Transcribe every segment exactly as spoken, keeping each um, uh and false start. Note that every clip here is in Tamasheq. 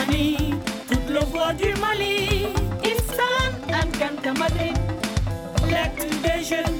Mali, toute le voix du Mali. Issan, Ankanta Madrid, l'actu des jeunes.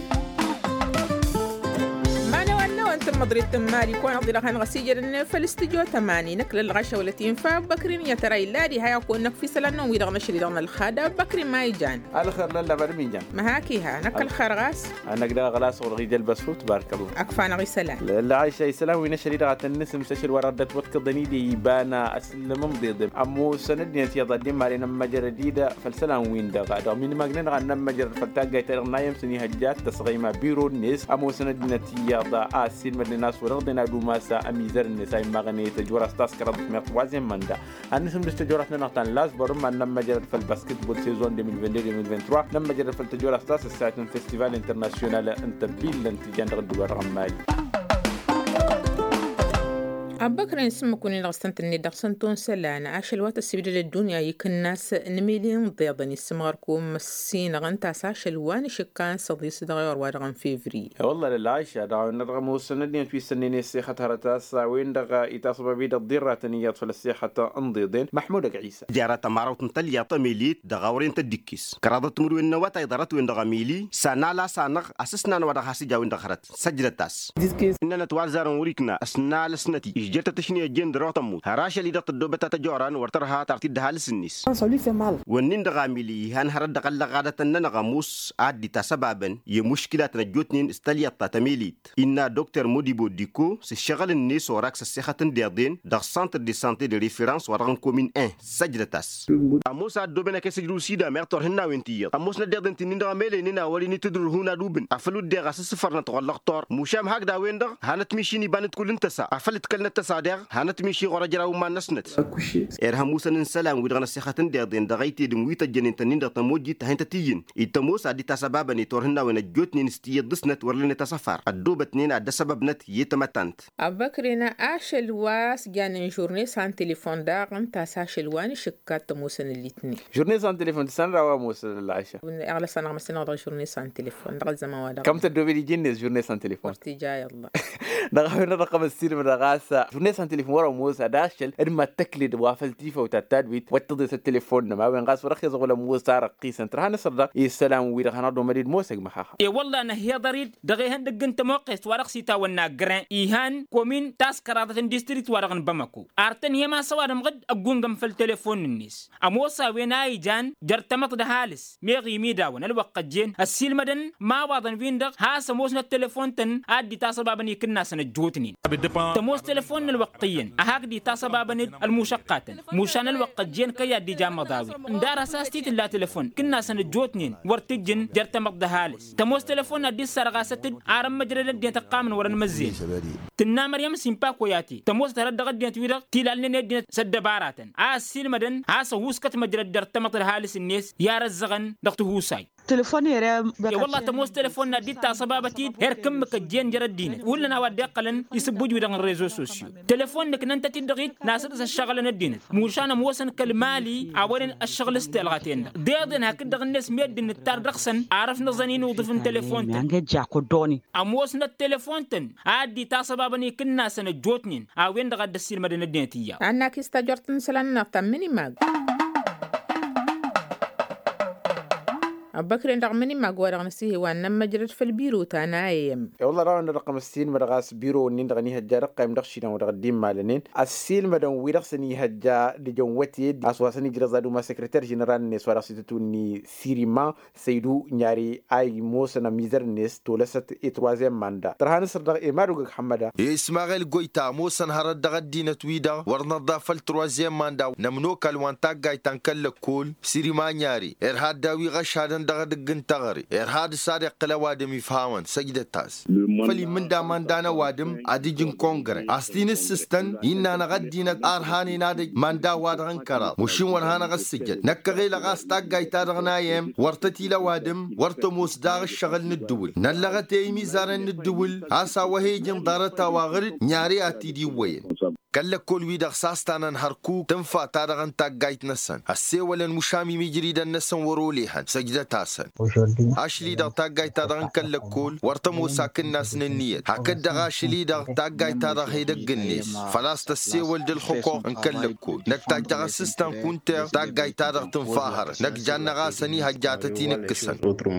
Mani wănna wănta n-măḍrit n-mali kăwăn-aḍilăɣ hanăɣ-s ijădăn făll-studyo tămani năkk lăllăɣ ašăwălăt infa abbăkri n-iyyăt ăra illa diha i-ad-kăwăn-năkf isălan-năwăn wi-dăɣ n-ašăl-i-dăɣ n-ălxad abbăkri ma ijan. Ălxer lălla bărmi ijan. Măhak iha năkk ălxer ɣas. Anăk-dăɣ ăɣlas ɣur-ɣija ălbăsfut bark ăllah. Ăkf-anăɣ isălan. Lălla ašăl isălan wi n-ašăl-i-dăɣ ad-tăn-nǝsǝmsăšăl wăr-ăddăt wătkăḍăn-i d-iba n-asǝllǝm n-iḍeḍem ămoosăn ăddinăt iyyăḍ ad-dd-immalen ămmăjrăd-dd făll-isălan-win-dăɣ dăɣ-minǝmagnen dăɣ-ad-nămmăjrăd făll-taggayt-ta-dăɣ n-ayǝm s-ănihăjja ad-t-ăsɣăyma biro-net ămoosăn ăddinăt iyyăḍ a ăssiilmădnen a-s wăr-ăɣḍen ad-umas ămizăr-net a immaɣăn i-tăjwăr a-s taskăraḍăt meɣ troisième mandat. Ad-nǝsǝmdǝs tăjorăt-nănăɣ ta n-lasbăr ǝmma n-nămmăjrăd făll-basketbol sezon deux mille vingt-deux deux mille vingt-trois nămmăjrăd făll-tăjorăt ta s-ăssayăt n-festival internasyonal n-tăbbillăn tijan dăɣ-ǝddǝwăr ɣămmali. Abbăkren s-ǝmmǝk-win-dăɣ s-tăn-tǝnnet dăɣ-săn tonsălan ašăl wa tăssibdăd ăddunya ikǝnnas n-emili n-iḍeḍăn issǝmɣăr kum ăssinăɣ ǝnta a-s ašăl wa n-ašǝkka n-săḍis dăɣ-ewăr wa dăɣ-n fevriye. E-wălla lălla ašăl dăɣ-a-wen-dăɣ ămoosăn ăddinăt wi s-sănnen i-ăssixăt hărăt a-s a-wen-dăɣ itasbăb-i dăɣ-dd-irratăn iyyăḍ făll-ăssixăt n-iḍeḍen măḥmud ăgg-ɣisa. Jara tămarawt n-tălyaḍt tămelit dăɣ-awren tăddikkes kăraḍăt timǝrwen n-awătay ḍarăt-wen-dăɣ ămili s-anal a-s anăɣ asǝsnan wa dăɣ-has-ǝj a-wen-dăɣ hărăt. Săjdăt-as. Ǝnnănăt wa ălzarăn wăr-ikna ăsnal ăsnăt-i ižjăr-tăt ašni ăjjeen dăr-oɣ tămmut har ašăl-i-dăɣ tăddoobăt a tăjoran wăr tărha tar t-dd-ăhalǝs-net. Wănnin-dăɣ amili ihan hărăt dăɣ-ăllăɣadătăn-nănăɣ ămoos a dd-itasăbabăn i-muškilatăn ăjjootnen s-tălyaḍt ta tămelit innă dokter modibo diko s-ǝššăɣǝl-net orak s-ăssixăt n-deḍen dăɣ-santr de sante de referans wa dăɣ-n komin en. Săjdăt-as. Ămoos a ăddooben ăkesăj rusida meɣ turhǝnnawen ti iyyăḍ ămoosnăt deḍen ti-nin-dăɣ ămelenen a wăren itǝdrǝhun ad-ubǝn afăl uddeɣ asǝssǝfărnăt ɣur-lăxtur mušam hakd a-wen-dăɣ hanăt miši n-iba n-ǝdkul n-tăsa afăl ǝdkălnăt tăsa deɣ hanăt miši ɣur-ăjraw n-iman-năsnăt. Irhăm usăn n-isălan-wi-dăɣ n-ăssixăt n-deḍen dăɣ-ăytedǝm wi tăjjănen tăn-in-dăɣ tămojjit ta hin-tăt-iyyǝn. Ittămoos ad-dd-tasăbabăn i-turhǝnnawen ăjjootnen s-tiyyăḍ dăɣ-snăt wăr lănnet asăfar ăddoobătnen ad-dd-ăsăbăbnăt i-tamăttant. Abbăkren ašăl wa s-janen žurne s-han telefon daɣ ǝnta a-s ašăl wa n-išǝkka t-ămoosăn ǝllitnen. Žurne s-han telefon tǝssanăr a-wa ămoosăn ălɣaša. Iɣlăs-anăɣ măssinăɣ dăɣ-žurne s-han telefon dăɣ-ăzzăman-wa-dăɣ. Kam tăddoobed iji-net žurne s-han telefon. Wăr t-ija i-ăllah. Dăɣ-a-wen-dăɣ ăqqăm ăssiilmădăɣ a-s žurne s-han telefon wăr-ămoos ad-ašăl d-mad-tăkled wa făll-tifăw ta tadwit wăr t-tǝḍes ăttelefon-năma a-wen ɣas wăr-ăxhiẓăɣ wăla ămoos a răqqisăn tărha n-asăr-dăɣ i-isălan-wi-dăɣ hanăɣ-dd-omăd-dd mosăg măxaxa. E-wălla năhhiḍăr-dd dăɣ-ehăndăgg n-tămoqqest wa dăɣ-s itawănna gren ihan komin taskăraḍăt n-distrikt wa dăɣ-n bamako. Ar tăn-hem a-s ăwadǝm ɣǝd ăggungăm făll-telefon-net ămoos a-wen a ijan jer-tamăḍt d-ăhalǝs meɣ imidawăn ălwăqq ăjjeen ăssiilmădăn imawaḍăn-win-dăɣ has-ămoosnăt telefon-tăn a dd-itasăbabăn ikǝnnasăn ăjjootnen. Tămoos telefon n-ălwăqq iyyăn a hakd itasăbabăn-dd ălmušăqqatăn mušan ălwăqq ăjjeen kăyy a dd-ija ămmăḍawen ǝndar has-a-s t-tǝlla telefon ikǝnnasăn ăjjootnen wăr t-ǝjjǝn jer-tamăḍt d-ăhalǝs. Tămoos telefon n-ad-dd-sărɣasăt-dd ar ămmăjrăd ăddinăt ăqqamăn wăr-ănmăzzeyăn. Tǝnna măryăm s-inpakoyate tămoos tărăt dăɣ-ăddinăt-wi-dăɣ tilalnen i-ăddinăt s-ăddăbaratăn a ăssiilmădăn has-ăhuuskăt măjrăd jer-tamăḍt d-ăhalǝs-net i-arăzzăɣăn dăɣ-tihusay. Telefon ere. E-wălla tămoos telefon n-ad-dd-tasăbabăt-dd erk ǝmmǝk ăjjeen jer-ăddinăt hullan a-wa dd-iqqălăn isǝbbuj-wi-dăɣ n-rezo sosyo. Telefon nǝknăn-tăt-dd dăɣ-it n-asǝḍǝs ăššăɣǝlăn ăddinăt mušan ămoosăn kăl-mali a wăren ăššăɣǝl s-telɣa-ten-dăɣ deḍen hakd-dăɣ-net meddǝn nǝttar dăɣ-săn. Arăf n-aẓăn inuḍǝf n-telefon-tăn. Ămoosnăt telefon-tăn a dd-itasăbabăn ikǝnnasăn ăjjootnen a-wen-dăɣ a dd-ăssiilmădăn ăddinăt iyyăḍ. Annak-i s-tajort n-isălan-nănăɣ ta n-mănimag. Ăbbăkren dăɣ-mănimag wa dăɣ-năsihe wa n-nămmăjrăd făll-biro ta n-a m. E-wălla dăɣ-a-wen-dăɣ ăqqăm ăssiilmădăɣ a-s biro-nin-dăɣ ănihăjja ad-ǝqqăyăm dăɣ-išilan wa dăɣ-dd-immalănen ăssiilmădăn wi-dăɣ s-ănihăjja d-ejăn wăted a-s wa săn-ijrăẓ ad-uma sekreter ženeral-net wa dăɣ-s itǝtwǝnni sirima săydu n-yari a imoosăn ămizăr-net tolăsăt i-troisième manda tărha n-asăr-dăɣ i-madug ăgg-hămmăda. Ismaɣil goyta ămoosăn hărăt dăɣ-ăddinăt-wi-dăɣ wăr năḍḍa făll-troisième manda n-ămnokal wa n-taggayt ta n-kăl-lăkkol sirima n-yari irha dd-a-wi ɣăšadăn dăɣ-edăgg n-teɣăre irha dăɣ-s ad-iqqǝl ăwadǝm ifhawăn săjdăt-as. Făll-imǝnda manda n-ăwadǝm ad-ǝj n-kongre a-s t-inǝssǝstăn innă-năɣ ăddinăt a ărhanen ad-ăj manda wa dăɣ-n kăraḍ mušin wăr hanăɣ-ăssǝjăd năkkăɣelăɣ a-s taggayt-ta-dăɣ n-a m wăr tăt-ila ăwadǝm wăr tămoos daɣ ǝššăɣǝl n-ǝddǝwǝl năllăɣăt i-imizarăn n-ǝddǝwǝl a-s a-wa he-ijăn ḍarăt-a-wa ɣǝr-dd n-yari ad-t-dd-iwwăyăn. Kăl-lăkkol-wi-dăɣ s-a-s tanăn hărkuk tǝnfa-ta-dăɣ n-taggayt-năsăn ăssewălăn mušam imijridăn-năsăn wăr-olehăn săjdăt-asăn. Ašli-dăɣ taggayt-ta-dăɣ n-kăl-lăkkol wăr tămoos akǝnnas n-ǝnniyăt hakd-dăɣ ašli-dăɣ taggayt-ta-dăɣ hedăgg-net făl-a-s tăssewăl d-ǝlxǝquq n-kăl-lăkkol năkk tajjăɣ asǝstan kunter taggayt-ta-dăɣ tǝnfa hărăt năkk jannăɣ-asăn ihăjjatăt-in ǝkkǝsăn.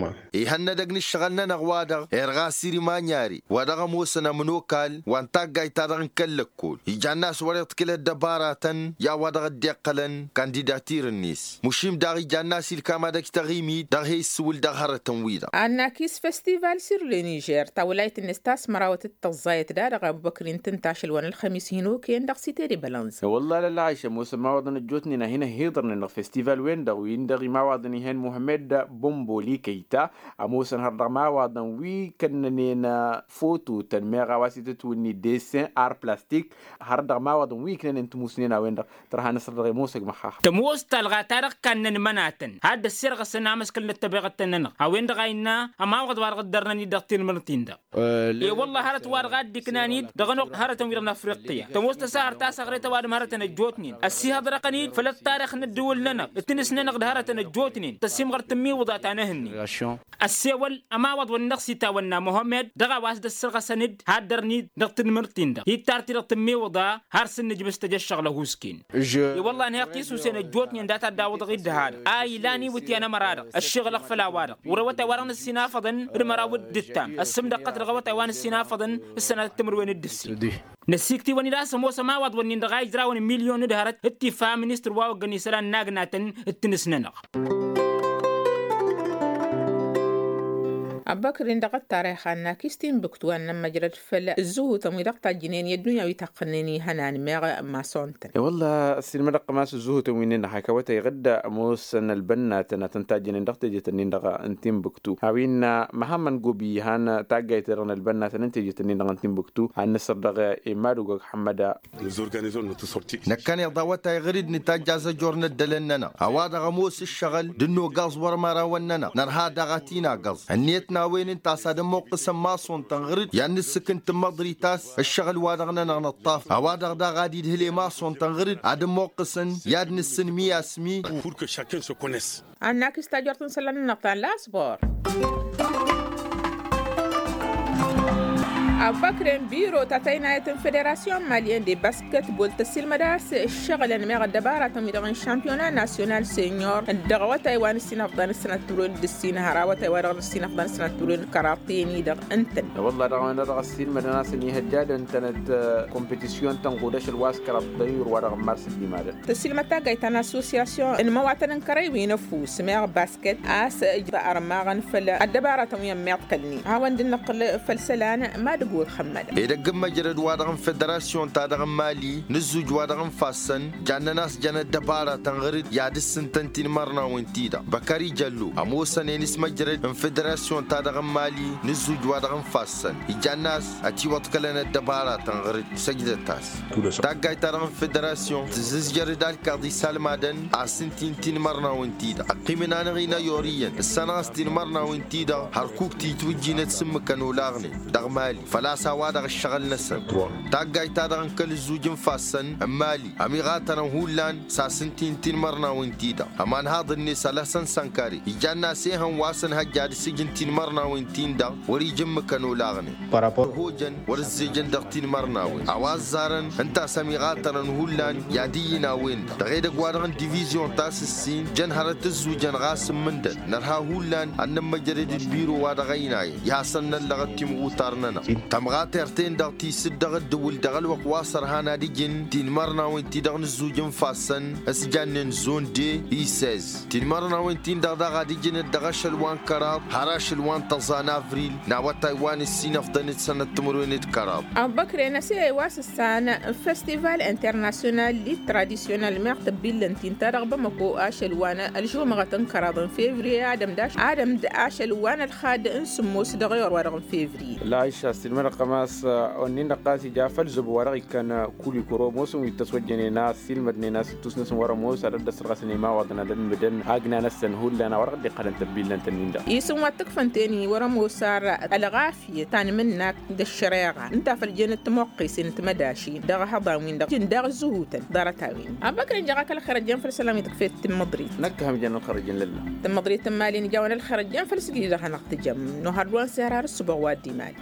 Ihănnădăg n-ǝššăɣǝl-nănăɣ wa-dăɣ erɣ a-s irǝm anyare wa dăɣ-ămoosăn ămnokal wa n-taggayt-ta-dăɣ n-kăl-lăkkol ijann'-as wăr-iḍkǝl ăddăbaratăn i-a-wa dăɣ-dd-iqqălăn kandidatir-net mušim daɣ ijann'-as ilkam ad-ăj taɣimit dăɣ-he-issǝwǝl dăɣ-hărătăn-wi-dăɣ. Annakis festival sur le nižer tawlayt-net ta s-mărawăt d-tăẓẓayăt da-dăɣ abubăkrin tǝnta ašăl wa n-ălxămis hin-okăyăn dăɣ-site de bălănẓ. Wălla lălɣayš ămoosăn imawaḍăn ăjjootnen a hin-ăhhiḍărnen dăɣ-festival-wen-dăɣ win-dăɣ imawaḍăn ih'-en muhămmed bombo likăyta ămoosăn har dăɣ-imawaḍăn wi kănnănen fototăn meɣ a-wa s-itǝtwǝnni desin ar plastik har dăɣ-imawaḍăn wi iknănen timusnen a-wen-dăɣ tărha năsr dăɣ-e ămoosăg măxxax. Tămoos talɣa ta dăɣ-kannăn imănatăn had-ăssirɣăsăn amăskăl n-ăttăbeɣăt-tăn-nănăɣ a-wen-dăɣ a innă ămawaḍ wa dăɣ-dd-ărnăn-dd dăɣ-tinmărăt-in-dăɣ. E-wălla hărăt wa dăɣ-a dd-iknan-dd dăɣ-ănoɣ hărătăn-wi-dăɣ n-afriqqiya tămoos tăsahărt ta s-aɣret ăwadǝm hărătăn ăjjootnen ăssihăḍrăɣăn-dd făll-ăṭṭarix n-ǝddǝwǝl-nănăɣ d-tinǝs-nănăɣ d-hărătăn ăjjootnen tăsimɣărt tǝmmiwǝḍa ta n-ehǝnnin. Ăssewăl ămawaḍ-wăn-dăɣ s-itawănna muhămmed dăɣ-a-wa s-dd-ăssărɣăsăn-dd haddărn-dd dăɣ-tinmǝrt-in-dăɣ hittar-t-i dăɣ-tǝmmiwǝḍa har s-dd-nǝjbǝs tăj ăššăɣǝl ăhuusken. I-wălla ănhăyăɣ tisusen ăjjootnen dat-ad-dawăḍăɣ-dd dăɣ-ha-dăɣ a ilan iwǝtyan ămăra-dăɣ ăššăɣǝl ăɣfăl a-wa-dăɣ wăr-awătay wa dăɣ-nǝssinafăḍăn d-măraw d-ǝttam ăssǝmdăqqăt dăɣ-awătay wa nǝssinafăḍăn d-sănatăt timǝrwen d-ǝssin. Năsiktiwăn-dd a-s ămoos ămawaḍ-wǝnnin-dăɣ a ijrawăn milyon d-hărăt d-tifa ministăr wa oggăn isălan n-agnatăn d-tinǝs-nănăɣ. Ăbbăkrin dăɣ-ăttarix annakis tinbǝktu a n-nămmăjrăd făll-ǝzzǝhutăn wi dăɣ-tajjǝnen i-ăddunya wi taqqǝlnen ihănan meɣ masontăn. I-wălla ăssiilmădăɣ-tăm a-s ǝzzǝhutăn wi-nin-dăɣ hak awătay ɣǝdda ămoosăn ălbănnatăn ad-tăn-tajjǝnen dăɣ-teje-tăn-in-dăɣ n-tinbǝktu a-wa innă măhămmăn gobi ihăn taggayt-ta-dăɣ n-ălbănnatăn n-teje-tăn-in-dăɣ n-tinbǝktu ad-nǝsǝr dăɣ-e madugog ḥămmăda. Năkkăneḍ awătay ɣǝr-dd nǝtajj azăjor n-ăddălăn-nănăɣ a-wa-dăɣ ămoos ǝššăɣǝl d-ănn-ogaẓ wăr-imărawăn-nănăɣ nărha daɣ ad-t-in-agăẓ ănniyăt n-a-wen ǝnta a-s ad-ămmuqqǝsăn maṣun-tăn ɣǝr-dd i-ad-nǝssǝkǝn tǝmmăḍrit a-s ǝššăɣǝl-wa-dăɣ-nănăɣ nǝṭṭaf a-wa-dăɣ daɣ ad-idhǝl i-maṣun-tăn ɣǝr-dd ad-ămmuqqǝsăn i-ad-nǝssǝn mi a-s mi. Annakis tajort n-isălan-nănăɣ ta n-lasbor. Abbăkren biro ta tăynayăt n-federasyon malyen de basketbol tăsilmăd a-s ǝššăɣǝlăn meɣ ăddăbaratăn-wi-dăɣ n-šampiyona nasyonal senyor dăɣ-awătay wa n-ǝssinăfḍan s-sănăt timǝrwen d-ǝssin har awătay wa dăɣ-nǝssinăfḍan s-sănăt timǝrwen d-kăraḍ teni-dăɣ ǝntăn. Wălla dăɣ-a-wen-dăɣ ăssiilmădăn a-s ănihăjjadăn tănăt-kompetisyun tănɣud ašăl wa s-kăraḍ tăyyur wa dăɣ-n mars dd-imadăn. Tăsilmăd taggayt ta n-assosiyasyon n-imăwatăn n-kărăy wi n-ăfuss meɣ basket a-s ǝjrăɣ armaɣăn făll-ăddăbaratăn wi ămmiḍkălnen hawăn-dd-nǝqqǝl făll-isălan. Madǝg wăr xămmădăn. Edăgg n-măjrăd-wa-dăɣ n-federasyon-ta-dăɣ n-mali n-ǝzzuj-wa-dăɣ n-ifassăn jannăn a-s jăn ăddăbaratăn ɣǝr-dd i-ad-ǝssǝntăn tinmărnawen-ti-dăɣ băkări jăllo ămoosăn-en s-măjrăd n-federasyon-ta-dăɣ n-mali n-ǝzzuj-wa-dăɣ n-ifassăn ijăn-as ătiwăḍkălăn ăddăbaratăn ɣǝr-dd. Săjdăt-as taggayt-ta-dăɣ n-federasyon tǝzzǝzjăr d-alkaḍ isalmadăn a-s ǝnta-in tinmărnawen-ti-dăɣ ăqqimăn-anăɣ-in ăyor iyyăn ǝssanăɣ-as tinmărnawen-ti-dăɣ hărkuk titwǝjjinăt s-ǝmmǝkăn olaɣnen dăɣ-mali făl-a-s a-wa-dăɣ ǝššăɣǝl-năsăn. Taggayt-ta-dăɣ n-kăl-ǝzzuj n-ifassăn n-mali ămiɣatărăn hullan s-a-s ǝnta-in tinmărnawen-ti-dăɣ ămanhaḍ-net ălhăsăn sănkare ijăn-as ehăn wa s-ănhăjja ad-ǝssǝjǝn tinmărnawen-tin-dăɣ wăr-ija ǝmmǝkăn olaɣnen. Hojăn wăr-ǝzzejăn dăɣ-tinmărnawen a-wa ăzzarăn ǝnta a-s ămiɣatărăn hullan i-ad-iyyǝn a-wen-dăɣ dăɣ-edăgg-wa-dăɣ n-divizyon ta s-ǝssin jăn hărăt ǝzzujăn ɣas ǝmmǝndăd nărha hullan ad-nămmăjrăd d-biro-wa-dăɣ ăynayăn i-hasăn-năllăɣăt timɣutar-nănăɣ. Tămɣatert-en-dăɣ tisǝd dăɣ-ǝddǝwǝl dăɣ-ălwăqq wa s-ărhan ad-ǝjǝn tinmărnawen-ti-dăɣ n-ǝzzuj n-ifassăn s-jannen zon de i-sez tinmărnawen-tin-dăɣ daɣ ad-ǝjǝnăt dăɣ-ašăl wa n-kăraḍ har ašăl wa n-tăẓa n-avril n-awătay wa n-ǝssin ăfḍăn d-sănăt timǝrwen d-kăraḍ. Abbăkre n-aseyăy wa s-ǝssan festival internasyonal lit tradisyonal meɣ tăbbillăn-t-in ta dăɣ-bamăko ašăl wa n-ălžumăɣăt n-kăraḍ n-fevriye adăm d-ašăl wa n-ălxad n-sǝmmos dăɣ-ewăr wa dăɣ-n fevriye. Năqqăm a-s onnin-dăɣ ɣas ija făll-zăbo wa dăɣ-ikkăn kulikuro ămoosăn wi t-ăswăjjănen a-s ilmădnen a-s ittus-năsăn wăr-ămoos ad-ăddăsăt ɣas ănimawăḍăn ad-ălmǝdăn agna-năsăn hullan a-wa dăɣ-dd-iqqălăn tăbbillăn-tăn-in-dăɣ. Isǝm wa t-ǝkfăn teni wăr-ămoos ar ălɣafyăt ta n-imǝnnak d-ăššăreɣa ǝnta a făl jănăt timoqqesen n-timădašin dăɣ-ehăḍan-win-dăɣ jǝn daɣ-ǝzzǝhutăn ḍarăt-a-wen. Abăkăy ǝnjăɣ-ak ălxer ăjjeen făll-isălan wi tǝkfet tǝmmǝḍrit. Năkk hăm jăn ălxer ăjjeen lălla. Tǝmmǝḍrit n-imali n-ija-wen ălxer ăjjeen făll-sǝgri dăɣ-hanăɣ-tǝjăm. Nuhăr d-wa n-sihărar ǝssǝboɣ wa dd-imali.